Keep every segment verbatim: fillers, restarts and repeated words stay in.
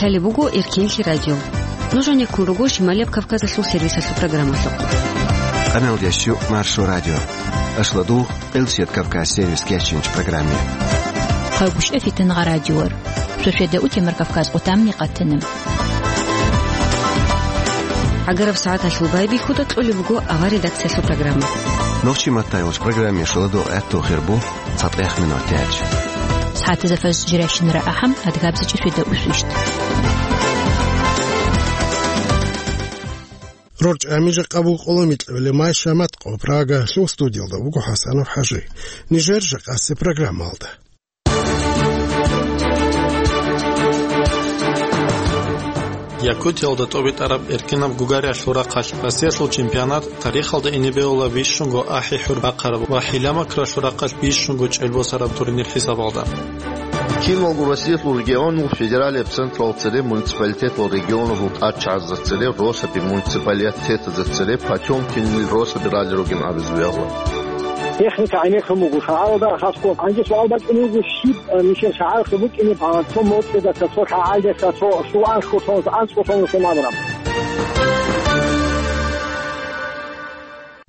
Цалеб буго Эркинлъи радио. Нуж гьанеккун руго Шималияб Кавказалъул сервисалъул программалъухъ. Къаналдящу Маршо радио. Ашладугъ, Элсият Кавказ сервис кечинч программе. Хъагушев Фитангъа радиор. Шошеда утемар Кавказ къутамни къатана. ГӀагараб сагӀаталъул байбихьуда кьолеб буго авар редакциялъул программа. Нохчи маттайолч программе шаладу гӀатту хирбу. ЦатӀехъ минутач. СагӀатазда фаз жиращинара ахӀам, адгабзичӀи шведа усвищт. РорчӀами жакъа буго къоло микьабилеб май шамат къо Прагалъул студиялда вуго ХӀасанов ХӀажи. Нижер жакъасеб программалда. Якутиялда тӀобитӀараб эркинаб гугариялъул рахъалъ Россиялъул чемпионат тарихалда ине бегьула бищунго ахӀи-хӀур бахъараб ва хӀилла-макралъул рахъалъ бищунго чӀел босараб турнир хӀисабалда. Киналго Россиялъул регионал федералияб централ цере муниципалитетал регионалъул тӀадчагӀазда цере росаби муниципалитетазда цере Потёмкинил росаби ралли ругин абизе бегьула. Техника гӀенеккун буго шагьаралда, хасго гьанже суал бачӀунеб буго, щиб, э, нижер шагьаралъул букӀинеб, а, цо моцӀидаса, цо лъагӀалдаса, цо суанлъго, цо анцӀго, цо нусун абураб.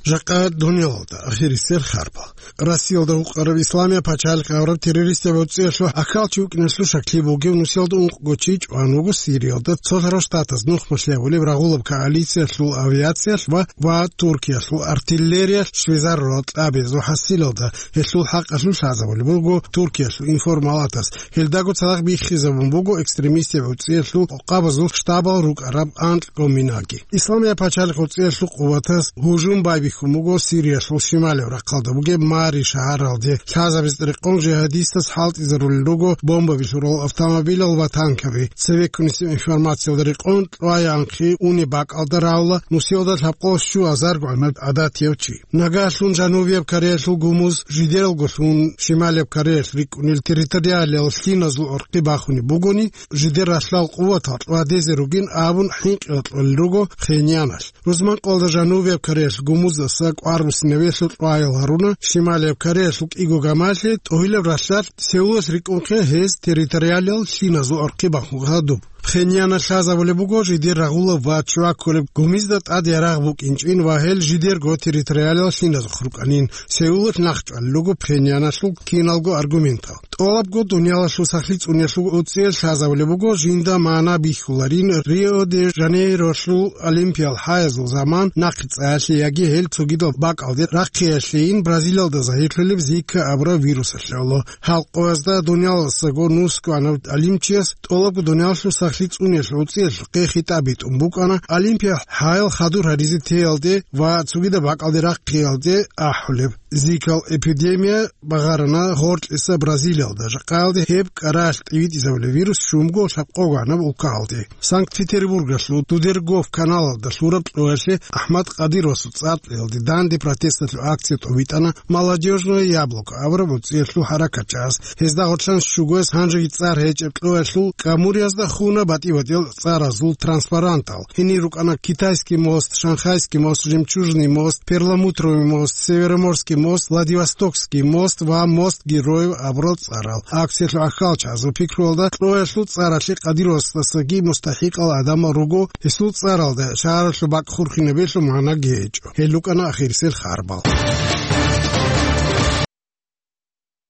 Жакъа дуниялалда ахирисел харбал. Россиялда гьукъараб Исламия пачалихъ гьавураб террористаб гӀуцӀиялъул гӀахьалчи вукӀиналъул шаклъи бугев нусиялда ункъго чи чӀван вуго Сириялда, Цолъарав Штатаз нухмалъи гьабулеб рагъулаб коалициялъул авиациялъ ва, ва Туркиялъул артиллериялъ щвезарурал кьабиязул хӀасилалда. Гьелъул хӀакъалъулъ лъазабулеб буго Туркиялъул информалатас. Гьелдаго цадахъ биххизабун буго экстремистаб гӀуцӀиялъул къокъабазул штабал рукӀараб анкьго минаги. Исламия пачалихъ гӀуцӀиялъул къуватаз гьужум байбихьун буго Сириялъул шималияб рахъалда бугеб Мари шагьаралде. Лъазабизе рекъон жихадистаз хӀалтӀизарулел руго бомбаби лъурал автомобилал ва танкаби. Цевеккунисеб информациялда рекъон, кьваянхъе унеб бакӀалда равла нусиялда лъабкъоялъ щуазаргогӀанаб гӀадатияв чи. Нагагьлъун Жанубияб Кореялъул гумуз жидералго лъун Шималияб Кореялъ рикӀкӀунел территориалиял лъиназул гӀорхъи бахунеб бугони, жидер ралъдал къуватал кьвадезе ругин абун хӀинкъи кьолел руго Пхеньяналъ. Рузманкъоялда Жанубияб Кореялъ гумуздаса кӀвар буссинабиялъул кьваял гьаруна, Шималияб Кореялъул кӀиго гамалъе тӀогьилаб ралъдалъ Сеулалъ рикӀкӀунхъе гьез территориалиял лъиназул гӀорхъи бахун гьадуб. Пхеньяналъ лъазабулеб буго жидер рагъулаб ва чуяккулеб гумизда тӀад ярагъ букӀинчӀин ва гьел жидерго территориалиял лъиназухъ рукӀанин. Сеулалъ нахъчӀвалел руго Пхеньяналъул киналго аргументал. ТӀолабго дуниялалъул сахлъи цӀуниялъул гӀуцӀиялъ лъазабулеб буго жинда магӀна бихьуларин Рио-де-Жанейролъул Олимпиял хӀаязул заман нахъе цӀаялъе яги гьел цогидал бакӀалде рахъиялъейин Бразилиялда загьирлъулеб Зика абураб вирусалъе. Гьалкъоязда дуниялалдасаго нусгоанав гӀалимчияс тӀолабго дуниялалъул сахлъи цӀуниялъул гӀуцӀиялъухъе хитӀаб битӀун букӀана Олимпия хӀаял хадур гьаризе теялде ва цогидаб бакӀалде рахъиялде ахӀулеб. Зикал эпидемия багъарана гъоркьиса Бразилиялда, жакъаялде гьеб кӀаралъ тӀибитӀизабулеб вирус щунго лъабкъого гӀанаб улкаялде. Санкт-Петербургалъул Дудергоф каналалда лъураб кьоялъе АхӀмад Къадировасул цӀар кьеялде данде протесталъул акция тӀобитӀана «Молодёжное яблоко» абураб гӀуцӀиялъул хӀаракатчагӀаз. Гьезда гъорлъан щугояз гьанжеги цӀар гьечӀеб кьоялъул Камуриязда хуна батӀи-батӀиял цӀаразул транспарантал. Гьенир рукӀана Китайский мост, Шанхайский мост, Жемчужный мост, Перламутровый мост, Североморский мост, Владивостокский мост ва мост Героев абурал цӀарал. Акциялъул гӀахьалчагӀазул пикруялда, кьоялъул цӀаралъе Къадировасдасаги мустахӀикъал гӀадамал руго, гьесул цӀаралда шагьаралъул бакӀ хурхинабиялъул магӀнаги гьечӀо. Гьел рукӀана ахирисел харбал.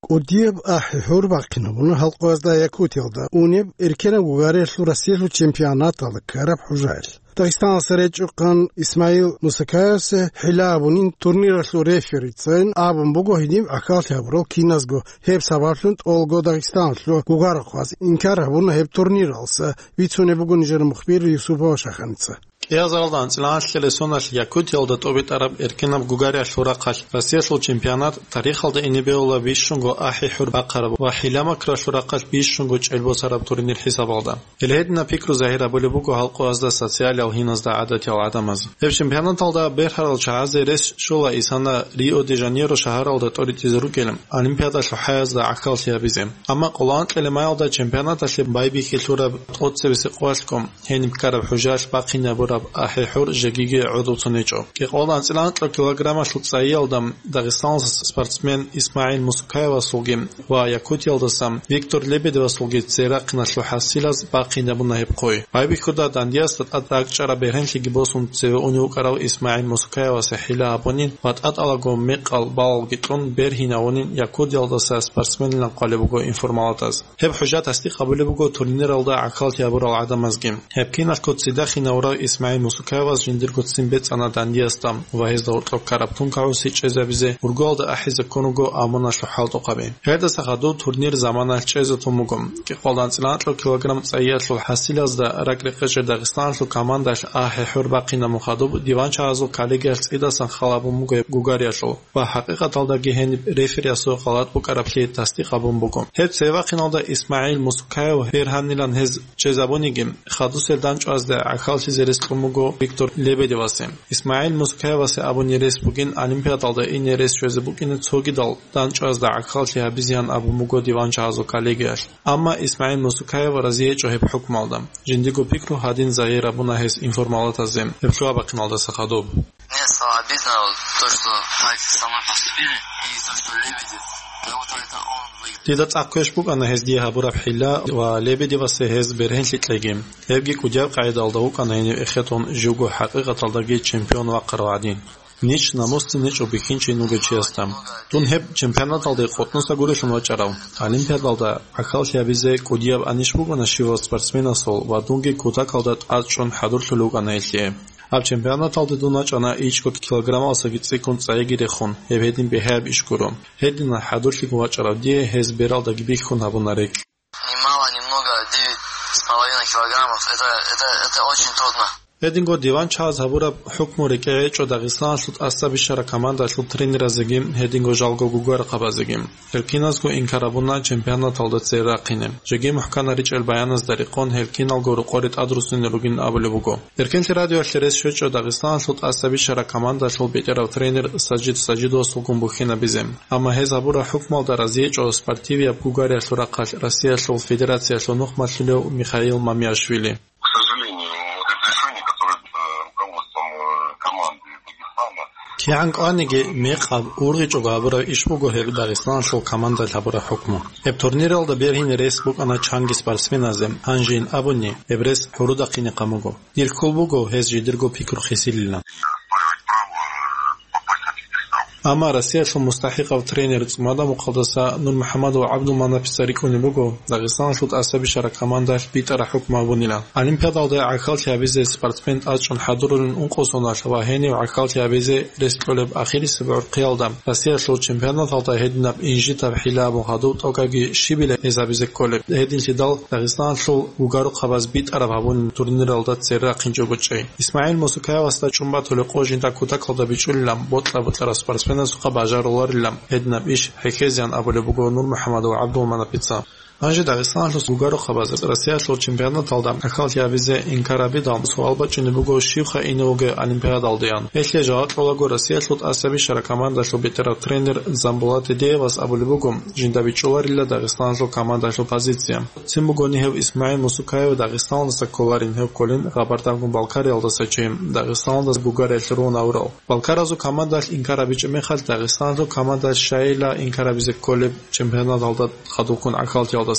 КӀудияб ахӀи-хӀур бахъинабуна гьалкъоязда Якутиялда унеб эркенаб гугариялъул Россиялъул чемпионаталда ккараб хӀужаялъ. Дагъистаналъа речӀухъан Исмаил Мусакаевса хӀилла абунин турниралъул реферицайин абун буго гьениб гӀахьаллъи гьабурал киназго. Гьеб сабаблъун тӀолго Дагъистаналъул гугарахъваз инкар гьабуна гьеб турниралса, бицунеб буго нижер мухбир Юсупова Шаханица. КӀиазаралда анцӀила анлъила соналъ Якутиялда тӀобитӀараб эркенаб гугариялъул рахъалъ Россиялъул чемпионат тарихалда ине бегьула бищунго ахӀи-хӀур бахъараб ва хӀилла-макралъул рахъалъ бищунго чӀел босараб турнир хӀисабалда. Гьел гьединаб пикру загьир гьабулеб буго гьалкъоязда, социалиял гьиназда гӀадатиял гӀадамаз. Гьеб чемпионаталда бергьарал чагӀазе рес щола исана Рио-де-Жанейро шагьаралда тӀоритӀизе рукӀел Олимпиадалъул хӀаязда гӀахьаллъи гьабизе. Амма къоло анкьила майялда чемпионаталъе байбихьи лъураб тӀоцебесеб къоялъго гьениб ккараб хӀужаялъ бахъинабураб АхӀи-хӀур жегиги гӀодов цо нечӀо. Кьикъоялда анцӀила анкьа килограммалъул цӀайиялда Дагъистаналдаса спортсмен ИсмагӀил Мусукаевасулги ва Якутиялдаса Виктор Лебедевасулги церахъиналъул хӀасилаз бахъинабуна гьеб хъуй. Байбихьуда дандиясда тӀад ракӀчӀараб бергьенлъиги босун цеве унев вукӀарав ИсмагӀил Мусукаевасе хӀила гьабунин ва тӀатӀалаго мекъал балалги кьун бергьинавунин Якутиялдаса спортсменилан хъвалеб буго информалатаз. Гьеб хӀужа тасдикъ гьабулеб буго турниралда гӀахьаллъи гьабурал гӀадамазги. Гьеб киналъго цидахъ инавурав ИсмагӀил Мусукаевас жиндирго ццин бецӀана дандиясда ва гьезда гьоркьоб ккараб тункагӀуси чӀезабизе ургуялда ахӀизе ккун руго амуналъул хӀалтӀухъаби. Гьелдаса хадуб турнир заманалъ чӀезе тун буго. Кьикъоялда анцӀила анкьа килограмм цӀайиялъул хӀасилазда ракӀ-рекъечӀей Дагъистаналъул командалъ ахӀи-хӀур бахъинабун хадуб диванчагьазул коллегиялъ цӀидасан хал гьабун буго гьеб гугариялъул. Ва хӀакъикъаталдаги гьениб рефериясул гъалатӀ букӀараблъи тасдикъ гьабун буго. Гьеб цеве вахъиналда ИсмагӀил Мусукаев бергьанилан гьез чӀезабуниги, хадусел дандчӀвазда гӀахьаллъизе рес кьун буго Виктор Лебедевасе. ИсмагӀил Мусукаевасе абуни рес бугин Олимпиадалда ине рес щвезе букӀине цогидал дандчӀвазда гӀахьаллъи гьабизеян абун буго диванчагьазул коллегиялъ. Амма ИсмагӀил Мусукаев разиечӀо гьеб хӀукмалда. Жиндиго пикру гьадин загьир гьабуна гьес информалатазе гьеб лъугьа-бахъиналдаса хадуб. Мне стало обидно, вот, то, что так со мной поступили, и то, что Лебедев, как будто это он выиграл. Дида цӀакъ квеш букӀана гьез дие гьабураб хӀила ва Лебедевасе гьез бергьенлъи кьеги. Гьебги кӀудияб къагӀидалда вукӀана гьенив эхетун живго хӀакъикъаталдаги чемпион вахъарав гӀадин. Нич намусцин нечӀо бихьинчи вугев чиясда. Дун гьеб чемпионаталде къотӀноса гурелъун вачӀарав, Олимпиадалда гӀахьаллъи гьабизе кӀудияб анищ букӀана щивав спортсменасул ва дунги кутакалда тӀад чӀун хӀадурлъулев вукӀана гьелъие. Гьаб чемпионаталде дун вачӀана ичӀго килограммалдасаги цӀикӀкӀун цӀайигире хун, гьеб гьедин бигьаяб иш гуро. Гьединал хӀадурлъиго вачӀарав дие гьез бералдаги бихьун гьабуна рекь. Ни мало, ни много, девять с половиной килограммов. Это, это, это очень трудно. Гьединго диванчагьаз гьабураб хӀукму рекӀее гьечӀо Дагъистаналъул тӀаса бищараб командалъул тренеразеги, гьединго жалго гугарухъабазеги. Гьел киназго инкар гьабуна чемпионаталда цере рахъине. Жеги мухӀканаричӀел баяназда рекъон гьел киналго рокъоре тӀадруссине ругин абулеб буго. Эркенлъи радиоялъе рес щвечӀо Дагъистаналъул тӀаса бищараб командалъул бетӀерав тренер Сажид Сажидовасулгун бухьинабизе. Амма гьез гьабураб хӀукмалда разиечӀо спортивияб гугариялъул рахъалъ Россиялъул Федерациялъул нухмалъулев Михаил Мамиашвили. К сожалению, вот это решение, которое, э, руководством, э, команды Дагестана. КигӀан кӀваниги мекъаб ургъичӀого гьабураб иш буго гьеб Дагъистаналъул командалъ гьабураб хӀукму. Гьеб турниралда бергьине рес букӀана чанги спортсменазе, гьанжейин абуни, гьеб рес гӀурудахъинехъан буго. Дир хьул буго гьез жидерго пикру хисилилан. Оспаривать право, э, попасть на пьедестал. Амма Россиялъул мустахӀикъав тренер цӀумадамухъалдаса НурмухӀамадов ГӀабдулманапица рикӀкӀунеб буго Дагъистаналъул тӀаса бищараб командалъ битӀараб хӀукму гьабунилан. Олимпиадалда гӀахьаллъи гьабизе спортсмен тӀадчӀун хӀадурулин ункъо соналъ ва гьенив гӀахьаллъи гьабизе рес кьолеб ахирисеб гӀурхъиялда Россиялъул чемпионаталда гьединаб инжитаб хӀила абун хадуб тӀокӀабги щибила гьез гьабизе кколеб. Гьединлъидал Дагъистаналъул гугарухъабаз битӀараб гьабун турниралда цере рахъинчӀого чӀей. ИсмагӀил Мусукаевасда чӀун батулеб къо жинда кутакалда бичӀчӀулилан бокьа-бокьарав спортсменасухъа бажаруларилан гьединаб иш хӀехьезеян абулеб буго НурмухӀамадов ГӀабдулманапица. Гьанже Дагъистаналъул гугарухъабаз Россиялъул чемпионаталда гӀахьаллъи гьабизе инкар гьабидал, суал бачӀунеб буго, щивха ине вугев Олимпиадалдеян. Гьелъие жаваб кьолаго Россиялъул тӀаса бищараб командалъул бетӀерав тренер Замбулат Дидеевас абулеб буго, жинда бичӀчӀуларила Дагъистаналъул командалъул позиция. Цин бугони гьев ИсмагӀил Мусукаев Дагъистаналдаса кколарин, гьев кколин Къабардагун Балкариялдаса чи, Дагъистаналдаса гугариялъе рун авурав. Балкаразул командалъ инкар гьабичӀеб мехалъ, Дагъистаналъул командалъ щайила инкар гьабизе кколеб чемпионаталда хадубккун гӀахьаллъиялдаса.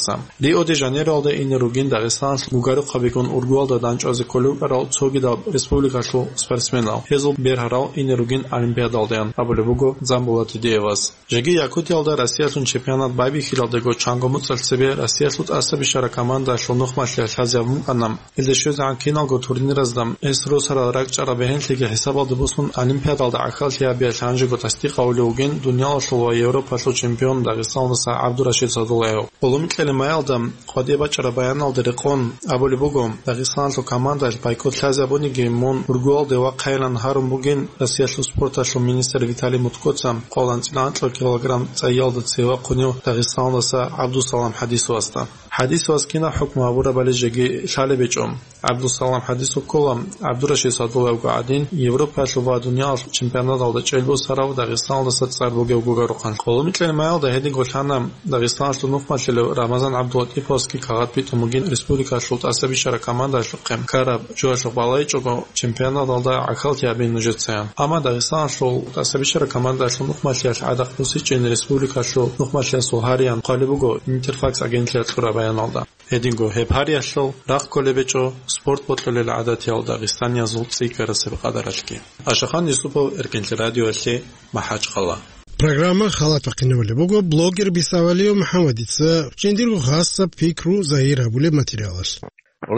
Рио-де-Жанейроялда ине ругин Дагъистаналъ гугарухъабигун ургуялда дандчӀвазе кколев вукӀарал цогидал республикалъул спортсменал. Гьезул бергьарал ине ругин Олимпиадалдаян абулеб буго Замбулат Дидеевас. Жеги Якутиялда Россиялъул чемпионат байбихьилалдего чанго моцӀалъ цебе Россиялъул тӀаса бищараб командалъул нухмалъи лъазе гьабун букӀана. Гьелда щвезегӀан киналго турниразда гьес росарал ракӀчӀараб бергьенлъиги хӀисабалде босун, Олимпиадалда гӀахьаллъи гьабиялъ гьанжего тасдикъ гьавулев вугин дуниялалъул ва Европалъул чемпион Дагъистаналдаса ГӀабдурашид Садулаев. Гъоломикьалин майялда къватӀибе бачӀараб баяналда рекъон абулеб буго, Дагъистаналъул командалъ байкот лъазе гьабуниги мун ургуялде вахъайилан гьарун бугин Россиялъул спорталъул министр Виталий Мутькоца кьолан цӀилан килограмм цӀайиялда цеве вахъунев Дагъистаналдаса ГӀабдусалам ХӀадисовасда. ХӀадисалъ кинаб хӀукму гьабурабали жеги лъалеб гьечӀо. ГӀабдусалам хӀадисалъ ккола, ГӀабдурашид Садулаевго гӀадин, Европаялъул ва дуниялалъул чемпионаталда чӀел босарав Дагъистаналдаса цӀар бугев гугарухъан. Къоло микьилан майялда гьединго лъана Дагъистаналъул нухмалъилав Рамазан ГӀабдулатӀиповский кагъат битӀун бугин республикалъул тӀасабищараб командалъухъе ккараб жоялъухъ балайчӀого чемпионаталда гӀахьаллъи гьабин нужецаян. Амма Дагъистаналъул тӀасабищараб командалъул нухмалъиялъ гӀадахъ бусичӀин республикалъул нухмалъиялъул гьариялъ хъвалеб буго Интерфакс агентлъиялъ кьураб баяналда. Гьединго гьеб гьариялъул рахъ кколеб гьечӀо спорт бокьулел гӀадатиял дагъистаниязул цӀикӀкӀарасеб къадаралъги. Ашахан Юсупов, Эркенлъи радиоялъе, МахӀачхъала. Программа халат бахъинабулеб буго блогер Бисавалиев МухӀаммадица жиндирго хасаб пикру загьир гьабулеб материалалъ.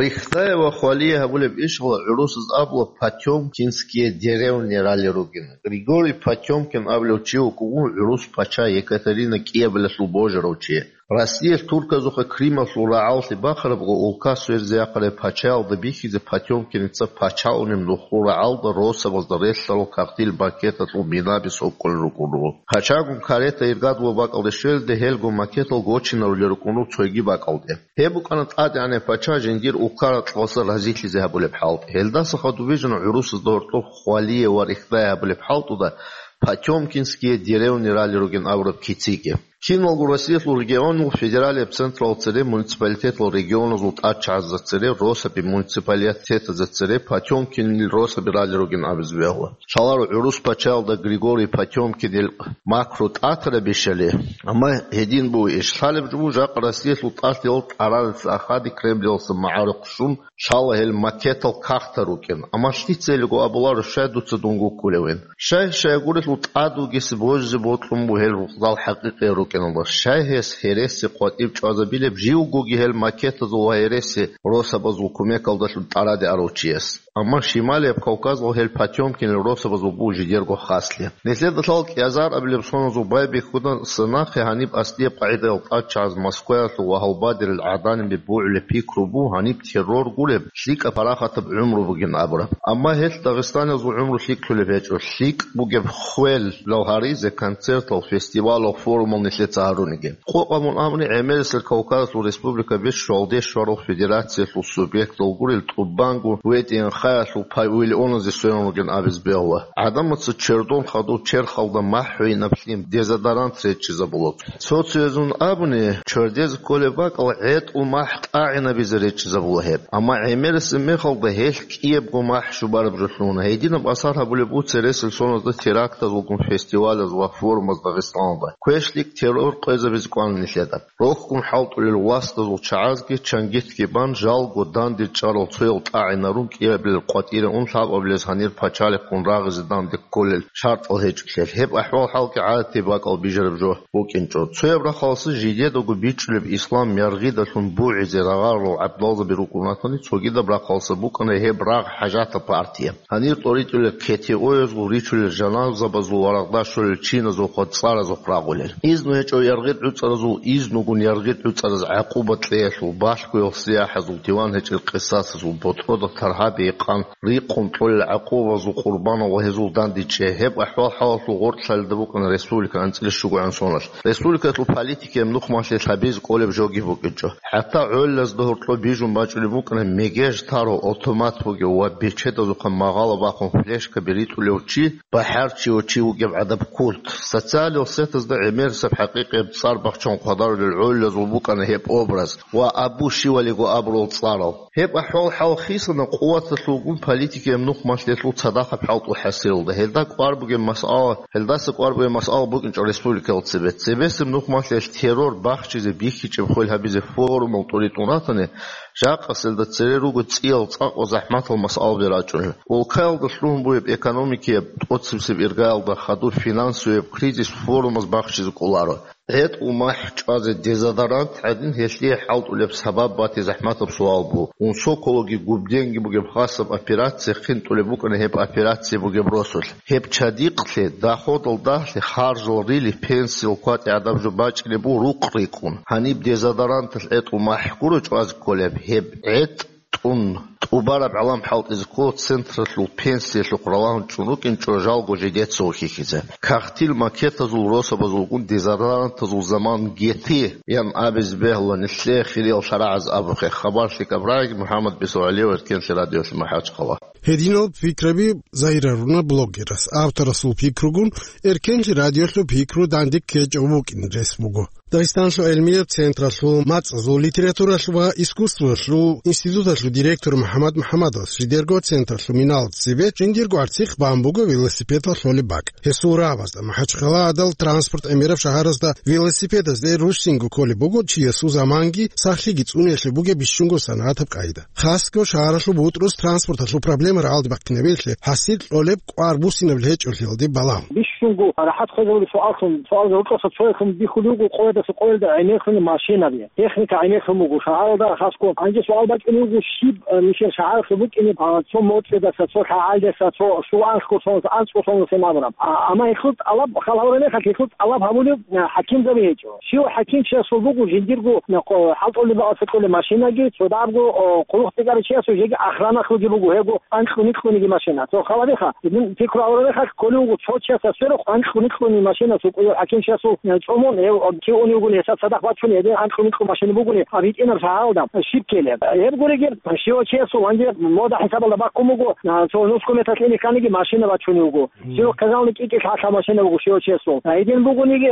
Рихтая ва хвалие гьабулеб ишгъула гӀурусаз абула Потёмкинские деревни рали ругин. Григорий Потёмкин абулев чи вукӀугун гӀурус пача Екатерина кӀиабилалъул божарав чи. Россиялъ турказухъе Крымалъул рагӀаллъи бахъарабго улка сверзе ахъараб пачаялда бихьизе Потёмкиница пачалунеб нухлу рагӀалда росабазда релълъарал кагътил бакеталъул минаби сокӀкӀулел рукӀун руго. Пачагун карета иргадулаб бакӀалде щвелде гьелго макетал гочинарулел рукӀун руго цоги бакӀалде. Гьеб букӀана тӀадегӀанав пача жиндир улка ракьалдаса разилъизе гьабулеб хӀалтӀи. Гьелдаса хадуб бижана гӀурусазда гьоркьоб хвалие ва рихтая гьабулеб хӀалтӀуда Потёмкинские деревни рали ругин абураб кициги. Киналго Россиялъул регионал федералияб централ цере муниципалитетал регионазул тӀадчагӀазда цере росаби муниципалитетазда цере Потёмкинил росаби рали ругин абизе бегьула. Шаларо гӀурус пачаялда Григорий Потёмкинил макру тӀатарабищали, амма гьедин буго иш. Лъалеб жо буго жакъа Россиялъул тӀалъиялда тӀарарица ахади Кремлялъа магӀарухъ щун, лъала гьел макетал кагътал рукӀин. Амма лъицайилго абуларо, щай дуца дун гуккулевин. Щай, щай гурелъул тӀад вугесе божизе бокьун буго гьел рукъзал хӀакъикъиял рукӀиналда. Щай гьес гьереси къватӀиб чӀвазабилеб живгоги гьел макетазул ва гьереси росабазул кумекалдалъун тӀараде арав чияс? Амма Шималияб Кавказалъ гьел Потёмкинил росабазул буго жидерго хаслъи. Нилъеда лъала кӀиазар абилеб соназул байбихьудаса нахъе гьаниб аслияб къагӀидаялъ тӀадчагӀаз Москваялъул ва гьалбадерил гӀаданибе бугӀулеб пикру буго гьаниб террор гуреб, лъикӀаб парахатаб гӀумру бугин абураб. Амма гьелъ дагъистаниязул гӀумру лъикӀлъулеб гьечӀо, лъикӀ бугеб хвел, лал гьаризе, концертал, фестивалал, форумал нилъеца гьаруниги. Къокъ гьабун абуни, ГӀемерисел Кавказалъул республика бищун гьалде щварал федерациялъул субъектал гурел тӀубанго ВДНХ-ялъул павильоназе сверун ругин абизе бегьула. ГӀадамаца чердон хадув черхалда махӀгьуйинаб лъим, дезодорант речӀчӀизабула. Цо-цоязун абуни, чердезе кколеб бакӀал гӀетӀул махӀ тӀагӀинабизе речӀчӀизабула гьеб. Амма гӀемерисеб мехалда гьелъ кӀиябго махӀ щубараб жо лъугьуна. Гьединаб асар гьабулеб буго цересел соназда терактазулгун фестивалаз ва форумаз Дагъистаналда. КвешлъикӀ террор къвезабизе кӀвана нилъеда. Рохьун хӀалтӀулел властазул чагӀазги чангитги бан, жалго данде чӀарал цоял тӀагӀинарун, кӀиабилел къватӀире ун, лъабабилез гьанир пачалихъун рагъизе данде кколел шартӀал гьечӀолъиялъ. Гьеб ахӀвал-хӀалги гӀадатияб бакӀал бижараб жо букӀинчӀо. Цояб рахъалъа жидедаго бичӀчӀулеб ислам яргъидалъун бугӀизе рагъарал гӀабдалзаби рукӀун ратани, цогидаб рахъалъа букӀана гьеб рагъ хӀажатаб партия. Гьанир тӀоритӀулел КТО-язул, ричулел жаназабазул ва рагъда щолел чиназухъа цӀаразухъ рагъулел. Изну гьечӀев яргъи гӀуцӀаразул изну гун яргъи гӀуцӀараз гӀакъуба кьеялъул, балъгоял сияхӀазул, диван гьечӀел къисасазул, ботӀрода таргьаби икъан рикъун кьолел гӀакъубазул къурбанал ва гьезул дандечӀей. Гьеб ахӀвал-хӀалалъул гъоркьлъалда букӀана республика анцӀила щугоян соналъ. Республикалъул политикаяб нухмалъе лъабизе кӀолеб жоги букӀинчӀо. ХӀатта гӀоллазда гьоркьоб бижун бачӀунеб букӀана мегеж тарав автомат бугев ва бечедазухъа магъала бахъун флешкаби ритӀулев чи, бахӀарчияв чи вугеб гӀадаб культ. Социалил сетазда гӀемерисеб хӀакъикъияб цӀар бахчун хъвадарулел гӀоллазул букӀана гьеб образ ва абу щивалиго абурал цӀарал. Гьеб ахӀвал-хӀал хисана къуваталъулгун политикаяб нухмалъиялъул цадахъаб хӀалтӀул хӀасилалда. Гьелда кӀвар бугеб масъала, гьелдаса кӀвар бугеб масъала букӀинчӀо республикалда цебе. Цебесеб нухмалъиялъ террор бахчизе бихьичӀеб хвел гьабизе форумал тӀуритӀун ратани, жакъасилда цере руго цӀиял цӀакъ ва захӀматал масъалаби рачӀунел. Улкаялда лъугьун бугеб экономикияб тӀоцебесеб иргаялда хадуб финансовияб кризис форумаз бахчизе кӀоларо. ГӀетӀул махӀ чӀвазе дезодорант гӀадин, гьелъие хӀалтӀулеб сабаб бати захӀматаб суал буго. Унсокологи губденги бугеб хасаб операция хъинтӀулеб букӀана гьеб операция бугеб росулъ. Гьеб чадикълъи, доходал дагьлъи, харжал рили, пенсиял кватӀи гӀадаб жо бачӀине буго рукъ рикӀкӀун. Гьаниб дезодоранталъ гӀетӀул махӀ гуро чӀвазе кколеб, гьеб гӀетӀ тӀун тӀубараб гӀалам хӀалтӀизе ккола централъул пенсиялъухъ ралагьун чӀун рукӀинчӀо жалго жидеца вухьихьизе. Кагътил макетазул росабазулгун дезодорантазул заман гьети, ян абизе бегьула нилъее хириял шарагӀаз абухъе. Хабар лъикӀаб рагӀи, МухӀаммад Бесо ГӀалиев, Эркенлъи радиолъи МахӀачхъала. Гьединал пикраби загьирлъуна блогерас. Авторасул пикругун Эркенлъи радиолъул пикру данде ккечӀев вукӀин рес буго. Дагъистаналъул гӀилмияб централъул мацӀазул, литературалъул ва искусствоялъул институталъул директор МухӀаммад МухӀаммадовас жидерго централъул миналда цебе жиндирго арцихъ бан буго велосипедал лъолеб бакӀ. Гьесул рагӀабазда МахӀачхъала гӀадал транспорт гӀемераб шагьаразда велосипедазде ружсинго кколеб буго чиясул заманги сахлъиги цӀуниялъе бугеб бищунго санагӀатаб къайда. Хасго шагьаралъул бутӀрус транспорталъул проблема рагӀалде бахъинабиялъе, гьасир кьолеб кӀвар буссинаб гьечӀолъиялде балагьун. Бищунго рахӀат хвезабулеб суаллъун, суалда гьоркьоса цояхъун бихьулев вуго къоядаса къоялда гӀемерлъуни машинаби, техника гӀемерлъун буго шагьаралда хасго. Гьанже суал бачӀунев вуго, щиб, э, нилъер шагьаралъул букӀине, а, цо моцӀидаса, цо лъагӀалдаса, цо щуанхго сонас, анцӀго сонас гьеб абураб. А, амма гьелъул тӀалаб, хал гьавураб мехалъ, гьелъул тӀалаб гьабулев, э, хӀакимзаби гьечӀо. Щив хӀакимчиясул буго жиндирго, э, къо-, хӀалтӀулеб бакӀалъе кьолеб машинаги, цо дагьабго, о, хъулухъ цӀикӀкӀаричиясул жеги охранахъеги буго, гьего анкьго-никьгониги машина. Цо халабиха, гьедин пикру гьавураб мехалъ кколев вуго цо чиясда сверухъ анкьго-никьгони машина цо кӀудияв хӀакимчиясул, э, цӀумун, гьев, ки унев вугони, гьесда цадахъ бачун, гьедин анкьго-никьгони машина бугони, гьаб гьитӀинаб шагьаралда щиб ккелеб. Гьеб гуриги, щивав чиясул гьанже мода хӀисабалда баккун буго, а, цо нусго метр ине кканиги машина бачунев вуго. Щивав казални кӀикӀи лъалъа машина буго щивав чиясул. А гьедин бугониги,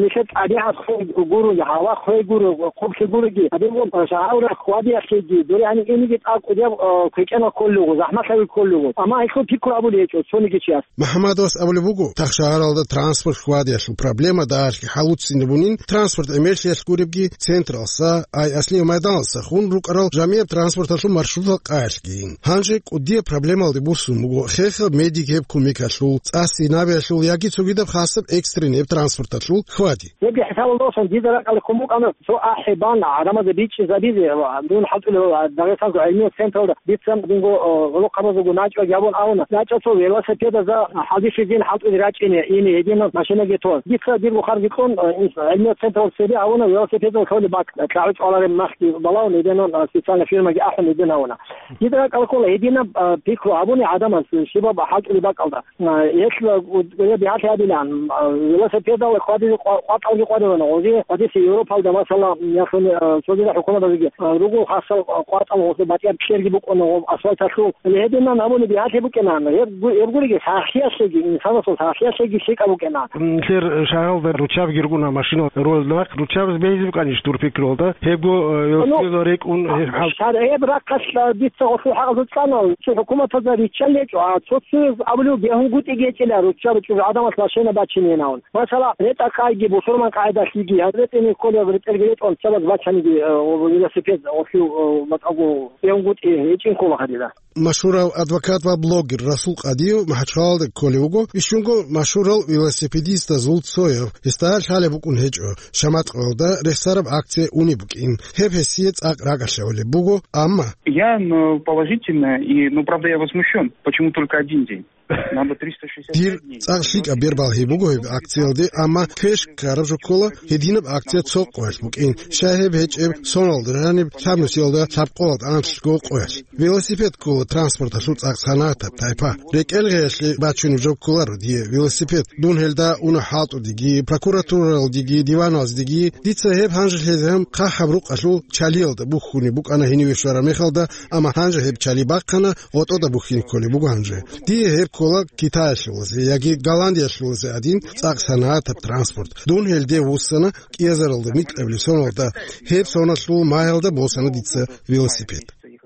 нилъер тӀабигӀат хвей гуро, гьава хвей гуро, хъублъи гуроги, гьадин буго, а, шагьаралда хьвадиялъеги, дуре гьанив иниги тӀад кӀудияб, а, квекӀенал кколел руго, захӀмалъави кколел руго. Амма гьелъул пикру гьабулеб гьечӀо цониги чияс. МахӀаммадовас абулеб буго, тахшагьаралда транспорт хьвадиялъул проблема дагьалъги хӀалуццинабунин, транспорт гӀемерлъиялъ гуребги, централса, ай аслияб майданалса хун рукӀарал жамияб транспорталъул маршрутал къаялъгийин. Гьанже кӀудияб проблемалде буссун буго хехаб медикеб кумекалъул, цӀа-сцинабиялъул яги цогидаб хасаб экстреннияб транспорталъул хьвади. Гьебги хӀисабалда босун, дида ракӀалде ккун букӀана цо ахӀи бан гӀадамазда бичӀчӀизабизе, ва дун хӀалтӀулев Дагъистанго гӀилмиял централда дица динго, о, гӀолохъабазулго начӀаги гьабун абуна, начӀа цо велосипедазда хӀалбихьизин хӀалтӀулел рачӀине, ине гьединал машинаги тун. Дица дирго харги кьун, о, ин-, гӀилмиял централда цебе гьавуна велосипедал лъолеб бакӀ, кьагӀу чӀвалареб махги балагьун гьединал, о, специальный фирмаги ахӀун гьедин гьавуна. Дида ракӀалде ккола гьединаб, а, пикру гьабуни гӀадамаз щибаб хӀалтӀулеб бакӀалда. А, гьелъ, а, гу-, гу-, бигьалъи гьабилан, а, велосипедал хьвадизе къва-, къватӀалги къвадилан, гъози хьвадизе Европалда, масала, яхуни, а, цогидал хӀукуматазеги, а, руго хасал, а, къватӀал гъоз батӀияб кьерги букӀуна гъоб асфальталъул. Гьединан гьабуни бигьалъи букӀинан. Гьеб гу-, гьеб гуребги сахлъиялъеги, инсанасул сахлъиялъеги лъикӀаб букӀина. Нилъер шагьаралда руччабиги рукӀуна машина рулалда нахъ. Руччабаз бегьизаб къанищ дур пикру гьалда? Гьебго, э, Ну, велосипедал рекӀун, гьеб хӀал- шар-, гьеб рахъалъ дица гъолъул хӀакъалъулъ цӀана, цо хӀукуматазда риччал гьечӀо, а цо-цояз абулев бегьунгутӀиги гьечӀила руччаби чӀужу гӀадамас машина бачинейин абун. Масала, ретӀа-къайги, бусурман къагӀидалъиги, гьаб ретӀине кколеб ретӀелги ретӀун, цабаз бачаниги, э, велосипед гъолъул, э, батӀаго бегьунгутӀи гьечӀин ккола гьадина. Машгьурав адвокат ва блогер Расул Къадиев МахӀачхъалалда кколев вуго, бищунго машгьурал велосипедистазул цояв, гьесда лъалеб букӀун гьечӀо, Шаматкъоялда рехсараб акция унеб букӀин. Гьеб гьесие цӀакъ ракӀалъе гӀолеб буго, амма Я ну, положительно, и, ну, правда, я возмущен. Почему только один день? Надо триста шестьдесят пять дней. Дир цӀакъ лъикӀаб бербал гьеб буго гьеб акциялде, амма квеш ккараб жо ккола, гьединаб акция цо къоялъ букӀин. Щай гьеб гьечӀеб соналда жаниб лъабнусиялда лъабкъоялда анлъго къоялъ. Велосипед ккола транспорталъул цӀакъ санагӀатаб тайпа. РекӀел гъеялъе бачунеб жо кколаро дие велосипед. Дун гьелда уна хӀалтӀудеги, прокуратуралдеги, диваналдеги. Дица гьеб гьанже лъезегӀан хъахӀаб рукъалъул чалиялда бухьунеб букӀана гьениве щвараб мехалда, амма гьанже гьеб чали бахъана, гъотӀода бухьине кколеб буго гьанже. Дие гьеб ккола Китаялъулазе яги Голландиялъулазе гӀадин цӀакъ санагӀатаб транспорт. Дун гьелде вуссана, кӀиазаралда микьабилеб соналда, гьеб соналъул магьалда босана дица велосипед.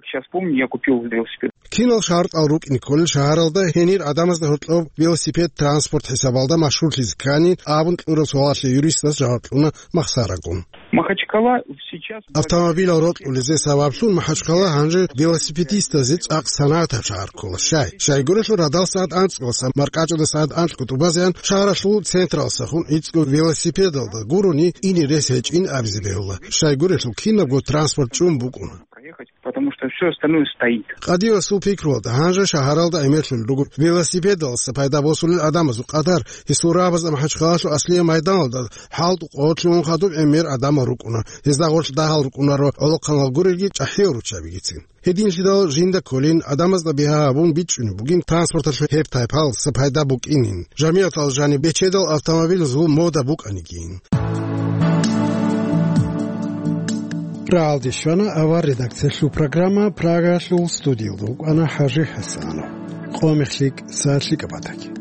Сейчас помню, я купил велосипед. Кинал шартӀал рукӀине кколел шагьаралда гьенир гӀадамазда гьоркьоб велосипед транспорт хӀисабалда машгьурлъизе ккани абун кьураб суалалъе юристас жаваб кьуна Махсарагун. Махачкала сейчас Автомобилал рокьулезе сабаблъун МахӀачхъала гьанже велосипедистазе цӀакъ санагӀатаб шагьар ккола. Щай? Щайгурелъул радал сагӀат анцӀгоялдаса маркӀачӀудаса сагӀат анлъго тӀубазеян шагьаралъул централдаса хун гӀицӀго велосипедалда гурони ине рес гьечӀин абизе бегьула. Щайгурелъул кинабго транспорт чӀун букӀуна. Проехать, потому что всё остальное стоит. Къадиевасул пикруялда, гьанже шагьаралда гӀемерлъулел руго велосипедалдаса пайда босулел гӀадамазул къадар. Гьесул рагӀабазда МахӀачхъалалъул аслияб майданалда хӀалтӀу къоялъ лъугьун хадуб гӀемер гӀадамал рукӀуна. Гьезда гъорлъ дагьал рукӀунаро гӀолохъанал гурелги чӀахӀиял руччабигицин. Гьединлъидал жинда кколин, гӀадамазда бигьа гьабун бичӀчӀунеб бугин транспорталъул гьеб тайпаялдаса пайда букӀинин, жамигӀаталда жаниб бечедал автомобилазул мода букӀанигин. РагӀалде щвана авар редакциялъул программа, Прагаялъул студиялда вукӀана ХӀажи ХӀасанов. Къо мехлъи, са лъикӀаб батаги.